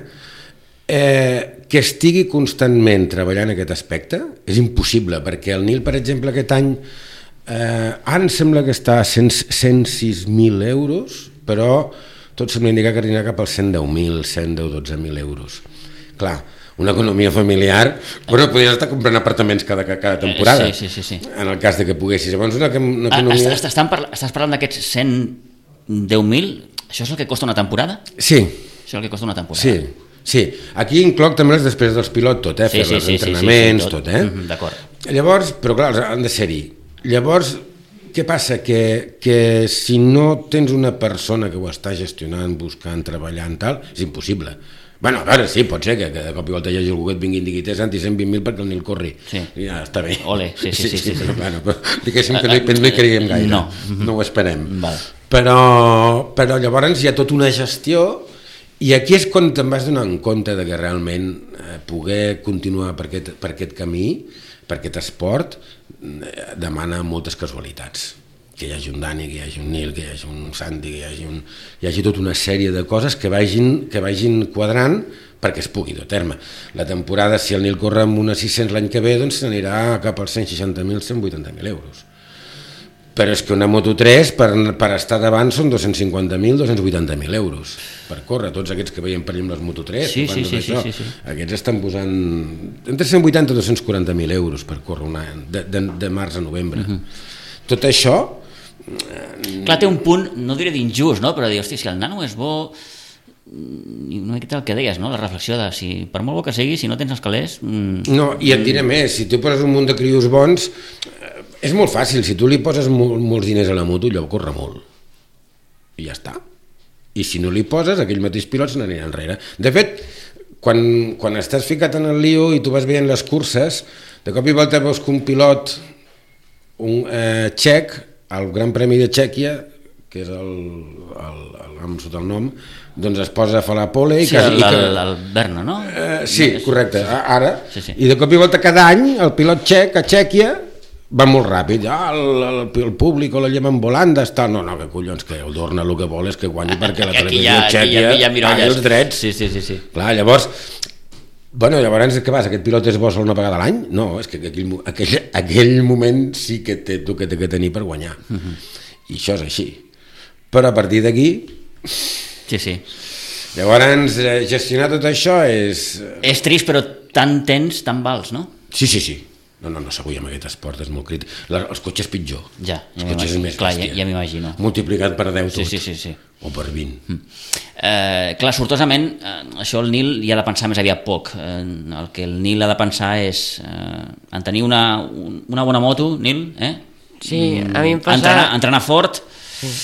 Eh, que estigui constantment treballant en aquest aspecte és impossible, perquè el Nil, per exemple, aquest any eh, ara em sembla que està a cent i sis mil euros, però tot sembla indicar que anirà cap als cent deu mil, cent deu, dotze mil euros. Clar, una economia familiar, però podries estar comprant apartaments cada, cada temporada, sí, sí, sí, sí. en el cas de que poguessis. Llavors, una, una economia... Estàs, parla, estàs parlant d'aquests cent deu mil? Això és el que costa una temporada? Sí. Això és el que costa una temporada? Sí, sí. Aquí incloc també les despeses dels pilots, tot, eh? Sí, fer sí, els sí, entrenaments, sí, sí, tot. tot, eh? Mm-hmm, d'acord. Llavors, però clar, han de ser-hi. Llavors, què passa? Que, que si no tens una persona que ho està gestionant, buscant, treballant, tal, és impossible. Bueno, a veure, sí, pot ser que, que de cop i volta hi hagi algú que et vingui i digui Santi, cent vint mil perquè el Nil corri. Sí. Ja està bé. Ole, sí, sí, sí. sí, sí, sí. Però, bueno, però, diguéssim que no hi, no hi creiem gaire. No. No ho esperem. Val. Però, però llavors hi ha tota una gestió i aquí és quan te'n vas donar en compte de que realment eh, poder continuar per aquest, per aquest camí, per aquest esport, eh, demana moltes casualitats. Que hi hagi un Dani, que hi hagi un Nil, que hi hagi un Santi, que hi hagi, un, hi hagi tota una sèrie de coses que vagin, que vagin quadrant perquè es pugui dur a terme. La temporada, si el Nil corre amb una sis-cents l'any que ve, doncs s'anirà cap als cent seixanta mil, cent vuitanta mil euros. Però és que una Moto tres, per, per estar davant, són dos-cents cinquanta mil, dos-cents vuitanta mil euros per córrer. Tots aquests que veiem per exemple les Moto tres, sí, sí, sí, això, sí, sí, sí. aquests estan posant entre cent vuitanta i dos-cents quaranta mil euros per córrer una, de, de, de març a novembre. Uh-huh. Tot això... Clar, té un punt, no diré d'injust, no? Però dir, hosti, si el nano és bo, una miqueta el que deies, no? La reflexió de si, per molt bo que sigui, si no tens els calés... Mmm... No, i et diré més, si tu poses un munt de crios bons, és molt fàcil, si tu li poses mol, molts diners a la moto, allò corre molt. I ja està. I si no li poses, aquell mateix pilot se n'anirà enrere. De fet, quan, quan estàs ficat en el lío i tu vas veient les curses, de cop i volta veus que un pilot un eh, txec, el Gran Premi de Txèquia, que és el, el, el, el sota el nom, doncs es posa a fer la pole i sí, que, el, i que, el, el Berno, no? Eh, sí, correcte, ara. Sí, sí. I de cop i volta cada any el pilot txec a Txèquia va molt ràpid. Ah, el, el, el públic o la lleven volant d'estar... No, no, que collons, que el Dorna el que vol és que guanyi perquè la televisió txèquia paga els drets. Sí, sí, sí, sí. Clar, llavors... Bueno, llavors, què vas? Aquest pilot és bo sol una vegada a l'any? No, és que aquell, aquell, aquell moment sí que té, tu que té que tenir per guanyar. Uh-huh. I això és així. Però a partir d'aquí... Sí, sí. Llavors, gestionar tot això és... És trist, però tant tens, tant vals, no? Sí, sí, sí. No, no, no, segur, amb aquest esport és molt crític. La, els cotxes pitjor. Ja, els ja cotxes és més clar, bèstia. ja, ja m'imagino. Multiplicat per deu tot. Sí, sí, sí, sí. O per vint. Mm. Eh, clar, sortosament, eh, això el Nil hi ha de pensar més aviat poc. Eh, el que el Nil ha de pensar és eh, en tenir una, una bona moto, Nil, eh? Sí, a mi em passa... Entrenar, entrenar fort sí.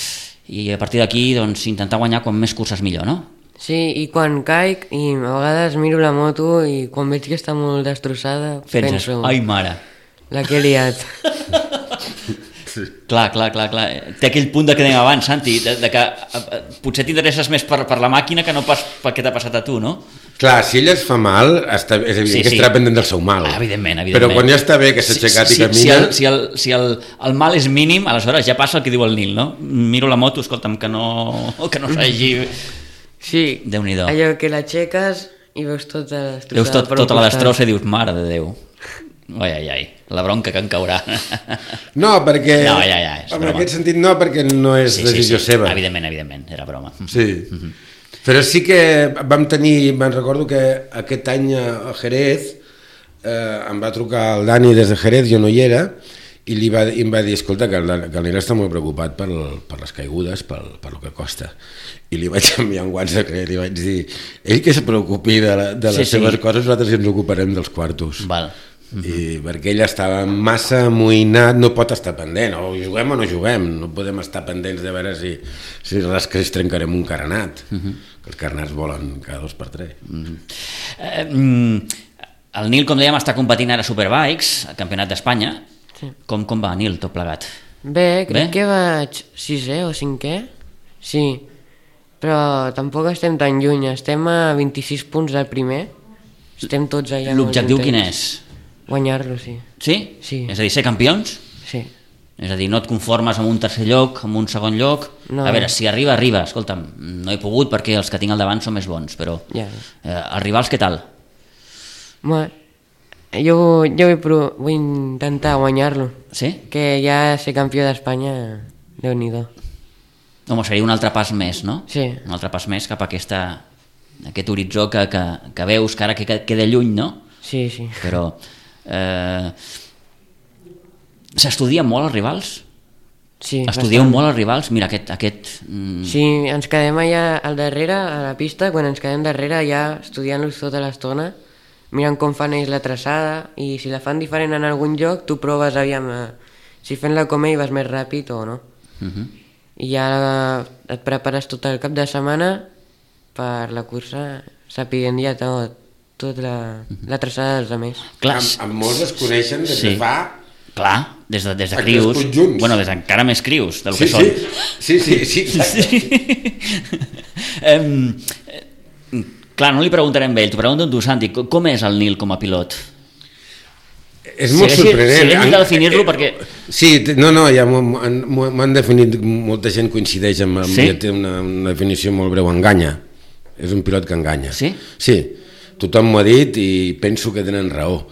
I a partir d'aquí doncs, intentar guanyar quan més curses millor, no? Sí, i quan caic i a vegades miro la moto i quan veig que està molt destrossada penses, penso... ai mare, la que he liat. clar, clar, clar, clar. Té aquell punt de que dèiem abans, Santi, de, de que eh, potser t'interesses més per, per la màquina que no pas per què t'ha passat a tu, no? Clar, si ella es fa mal, està, és evident Sí, que sí. estarà pendent del seu mal. Ah, evidentment, evidentment. Però quan ja està bé, que s'ha aixecat si, i camina... Si, el, si, el, si el, el mal és mínim, aleshores ja passa el que diu el Nil, no? Miro la moto, escolta'm, que no, que no s'hagi... Sí, Déu-n'hi-do. allò que l'aixeques i veus tota la destrossada. Veus tot, per un tota la costat. destrossa i dius, mare de Déu. Ai, ai, ai, la bronca que em caurà. No, perquè... No, ja, ja, és en broma. aquest sentit no, perquè no és Sí, sí, decisió sí, seva. evidentment, evidentment, era broma. Sí. Mm-hmm. Però sí que vam tenir, me'n recordo que aquest any a Jerez eh, em va trucar el Dani des de Jerez, jo no hi era, i li va, i em va dir, escolta, que el, que el Nil està molt preocupat per, per les caigudes, per, per el que costa. I li vaig enviar un WhatsApp i li vaig dir, ell que se preocupi de, la, de les Sí, sí. seves coses, nosaltres ens ocuparem dels quartos. Val. I perquè ell estava massa amoïnat, no pot estar pendent, o juguem o no juguem, no podem estar pendents de veure si, si rasques trencarem un carenat, uh-huh. que els carenats volen cada dos per tres. Uh-huh. Eh, mm, el Nil, com dèiem, està competint ara a Superbikes, al Campionat d'Espanya. Sí. Com, com va, Nil, tot plegat? Bé, crec Bé? que vaig sisè o cinquè, sí, però tampoc estem tan lluny, estem a vint-i-sis punts del primer, estem tots allà molt L'objectiu quin contents. és? Guanyar-lo, sí. Sí? Sí. És a dir, ser campions? Sí. És a dir, no et conformes amb un tercer lloc, amb un segon lloc. No. A veure, si arriba, arriba. Escolta'm, no he pogut perquè els que tinc al davant són més bons, però Ja. eh, els rivals què tal? Bueno, jo, jo vull, pro- vull intentar guanyar-lo, Sí? que ja ser campió d'Espanya, Déu-n'hi-do. Home, seria un altre pas més, no? Sí. Un altre pas més cap a aquesta, aquest horitzó que, que, que veus que ara que queda lluny, no? Sí, sí. Però eh, s'estudia molt els rivals? Sí, Estudieu bastant. molt els rivals? Mira, aquest... aquest mm, Sí, ens quedem allà al darrere, a la pista, quan ens quedem darrere ja estudiant-los tota l'estona, mirant com fan ells la traçada, i si la fan diferent en algun lloc, tu proves, aviam, eh, si fent-la com ell vas més ràpid o no. uh -huh. I ja et prepares tot el cap de setmana per la cursa, sapiguent ja tot, tot la, la traçada dels altres. Clar, Amb, amb molts es coneixen des sí. de fa... clar, des de, des de Aquí crius, els junts. bueno, des d'encara més crius del Sí, que sí, són. sí, sí, sí, exacte. Sí. em, eh, clar, no li preguntarem a ell, t'ho pregunto a tu, Santi, co- com és el Nil com a pilot? És Si molt haguessis- sorprenent. si haguessis de En- definir-lo, eh, perquè- Sí, t- no, no, ja m'ho m'ho- m'ho han definit, molta gent coincideix amb, amb Sí? ja té una, una definició molt breu, enganya. És un pilot que enganya. Sí? Sí, tothom m'ho ha dit i penso que tenen raó.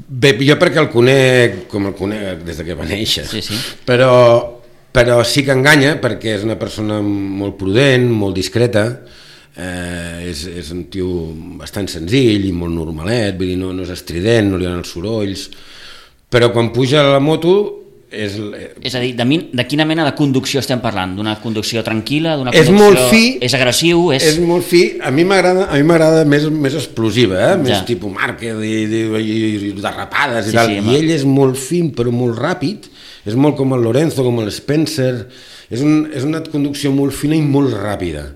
Bé, jo perquè el conec com el conec des de que va néixer, Sí, sí. però, però sí que enganya perquè és una persona molt prudent, molt discreta, eh, és, és un tio bastant senzill i molt normalet, vull dir, no, no és estrident, no li donen els sorolls, però quan puja a la moto és... És a dir, de, min, de quina mena de conducció estem parlant? D'una conducció tranquil·la? D'una És conducció... molt fi. És agressiu? És... És molt fi. A mi m'agrada a mi m'agrada més, més explosiva, eh? Més Ja. tipus Márquez i, i, i, i derrapades i Sí, tal. sí, I home. ell és molt fin però molt ràpid. És molt com el Lorenzo, com el Spencer. És, un, és una conducció molt fina i molt ràpida.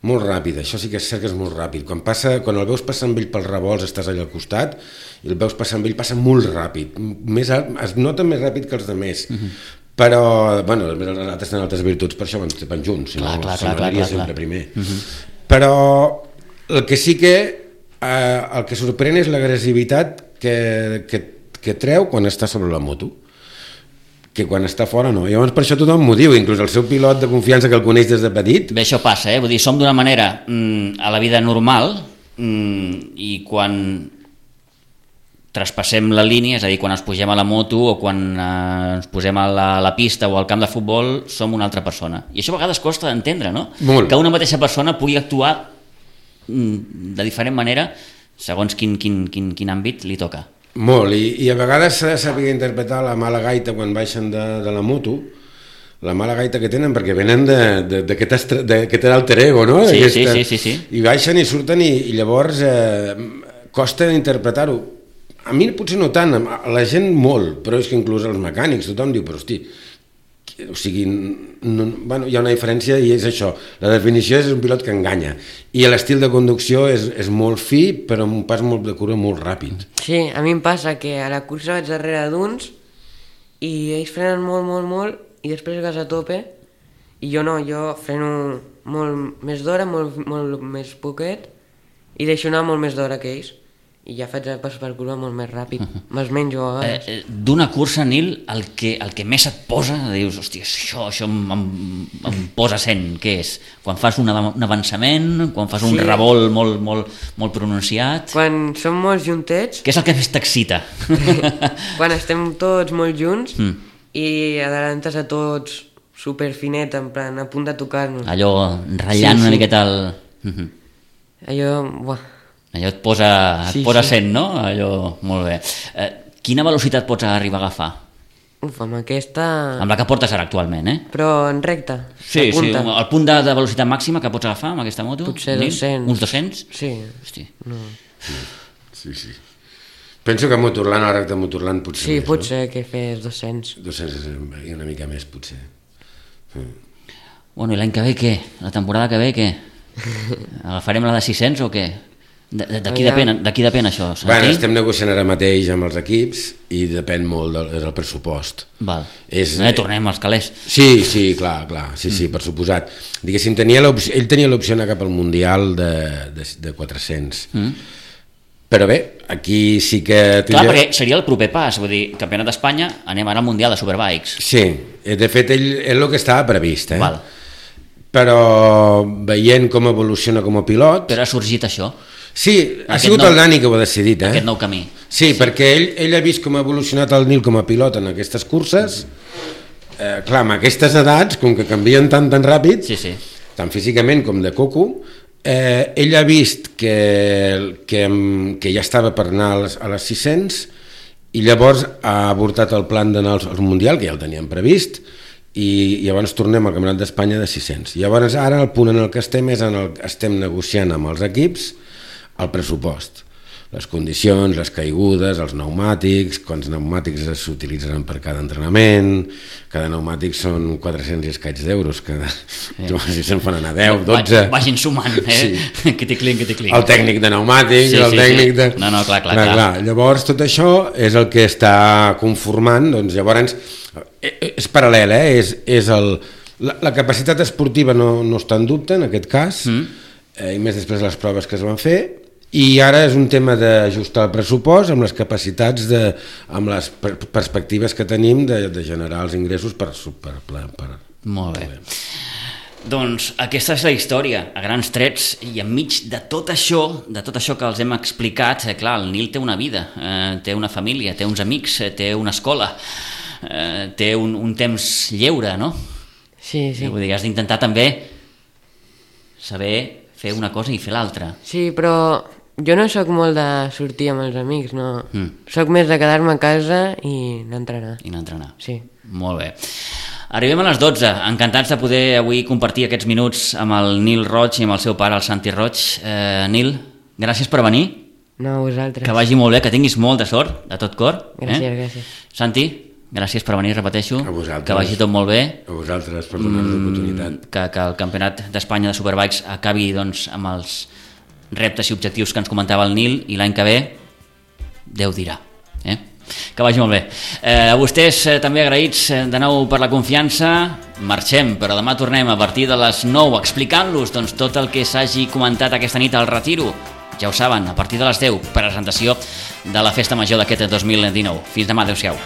molt ràpid, això sí que és cert que és molt ràpid. Quan, passa, quan el veus passar amb ell pels revolts, estàs allà al costat, i el veus passar amb ell, passa molt ràpid. Més, es nota més ràpid que els altres. Uh-huh. Però, bueno, els altres tenen altres virtuts, per això van, van junts, si clar, no, clar, si no clar, clar, sempre clar. primer. Uh-huh. Però el que sí que, eh, el que sorprèn és l'agressivitat que, que, que treu quan està sobre la moto, que quan està fora no. Llavors per això tothom m'ho diu, inclús el seu pilot de confiança que el coneix des de petit. Bé, això passa, eh? Vull dir, som d'una manera mm, a la vida normal mm, i quan traspassem la línia, és a dir, quan ens pugem a la moto o quan eh, ens posem a la, a la pista o al camp de futbol, som una altra persona. I això a vegades costa d'entendre, no? Molt. Que una mateixa persona pugui actuar mm, de diferent manera segons quin, quin, quin, quin àmbit li toca. Molt, i, i a vegades s'ha de saber interpretar la mala gaita quan baixen de, de la moto, la mala gaita que tenen, perquè venen d'aquest alter ego, no? Sí, sí, sí, sí, sí. I baixen i surten i, i llavors eh, costa interpretar-ho. A mi potser no tant, a la gent molt, però és que inclús els mecànics, tothom diu, però hosti, o sigui, no, bueno, hi ha una diferència i és això, la definició és un pilot que enganya i l'estil de conducció és, és molt fi però amb un pas molt de cura molt ràpid. Sí, a mi em passa que a la cursa vaig darrere d'uns i ells frenen molt, molt, molt i després gas a tope i jo no, jo freno molt més d'hora, molt, molt més poquet i deixo anar molt més d'hora que ells i ja faig el pas per curva molt més ràpid, me'ls menjo a vegades. Eh, D'una cursa, Nil, el que, el que més et posa, dius, hòstia, això, això em, em, em posa sent, què és? Quan fas un, av un avançament, quan fas un sí. revolt molt, molt, molt pronunciat... Quan som molts juntets... Què és el que més t'excita? Quan estem tots molt junts mm. i adelantes a tots superfinet, en plan, a punt de tocar-nos. Allò ratllant sí, sí. una miqueta el... Mm-hmm. Allò, buah... Allò et posa, et sí, posa sí. sent, no? Allò, molt bé. Eh, quina velocitat pots arribar a agafar? Uf, amb aquesta... Amb la que portes ara actualment, eh? Però en recta, sí, sí, el punt de, de velocitat màxima que pots agafar amb aquesta moto? Potser dos-cents. Uns dos-cents? Sí. Hosti. No. Sí, sí. Penso que a Motorland, a recta Motorland, potser sí, més, potser no? que fes dos-cents. dos-cents i una mica més, potser. Mm. Bueno, i l'any que ve què? La temporada que ve què? Agafarem la de sis-cents o què? De, de, de, qui depèn, de qui depèn això? Bueno, estem negociant ara mateix amb els equips i depèn molt del, del pressupost. Val. És, eh, tornem als calés. Sí, sí, clar, clar, sí, sí, mm. per suposat. Diguéssim, tenia ell tenia l'opció d'anar cap al Mundial de, de, de quatre-cents. Mm. Però bé, aquí sí que... Clar, perquè seria el proper pas, vull dir, campionat d'Espanya, anem ara al Mundial de Superbikes. Sí, de fet, ell és el que estava previst, eh? Val. Però veient com evoluciona com a pilot... Però ha sorgit això. Sí, ha aquest sigut nou, el Dani que ho ha decidit, eh? Aquest nou camí. Sí, sí. perquè ell, ell ha vist com ha evolucionat el Nil com a pilot en aquestes curses. Eh, clar, amb aquestes edats, com que canvien tan tan ràpid, sí, sí. tant físicament com de coco, eh, ell ha vist que, que, que ja estava per anar a les, a les sis-cents i llavors ha avortat el plan d'anar al Mundial, que ja el teníem previst, i llavors tornem al Campionat d'Espanya de sis-cents. Llavors ara el punt en el que estem és en el estem negociant amb els equips el pressupost, les condicions, les caigudes, els pneumàtics, quants pneumàtics s'utilitzaran per cada entrenament, cada pneumàtic són quatre-cents i escaig d'euros, cada... eh. si se'n fan anar deu, dotze... Vagin sumant, eh? Sí. Que t'hi clinc, que t'hi clinc. El tècnic de pneumàtics, sí, el sí, tècnic sí. de... No, no, clar, clar, clar, clar. clar. Llavors tot això és el que està conformant, doncs llavors és paral·lel, eh? És, és el... la, la capacitat esportiva no, no està en dubte en aquest cas, mm. eh, i més després de les proves que es van fer, i ara és un tema d'ajustar el pressupost amb les capacitats, de, amb les per perspectives que tenim de, de generar els ingressos per... per, per, per Molt bé. Doncs aquesta és la història, a grans trets, i enmig de tot això, de tot això que els hem explicat, eh, clar, el Nil té una vida, eh, té una família, té uns amics, eh, té una escola, eh, té un, un temps lleure, no? Sí, sí. Vull dir, has d'intentar també saber fer una cosa i fer l'altra. Sí, però jo no sóc molt de sortir amb els amics, no. Mm. Sóc més de quedar-me a casa i anar a entrenar. I anar a entrenar. Sí. Molt bé. Arribem a les dotze. Encantats de poder avui compartir aquests minuts amb el Nil Roig i amb el seu pare, el Santi Roig. Eh, Nil, gràcies per venir. No, vosaltres. Que vagi molt bé, que tinguis molta sort, de tot cor. Gràcies, eh? gràcies. Santi, gràcies per venir, repeteixo, A vosaltres. que vagi tot molt bé. A vosaltres per donar-nos l'oportunitat. Que, que el Campionat d'Espanya de Superbikes acabi doncs, amb els reptes i objectius que ens comentava el Nil, i l'any que ve Déu dirà. Eh? Que vagi molt bé. Eh, a vostès eh, també agraïts eh, de nou per la confiança. Marxem, però demà tornem a partir de les nou explicant-los doncs, tot el que s'hagi comentat aquesta nit al Retiro. Ja ho saben, a partir de les deu, presentació de la Festa Major d'aquest dos mil dinou. Fins demà, adeu-siau.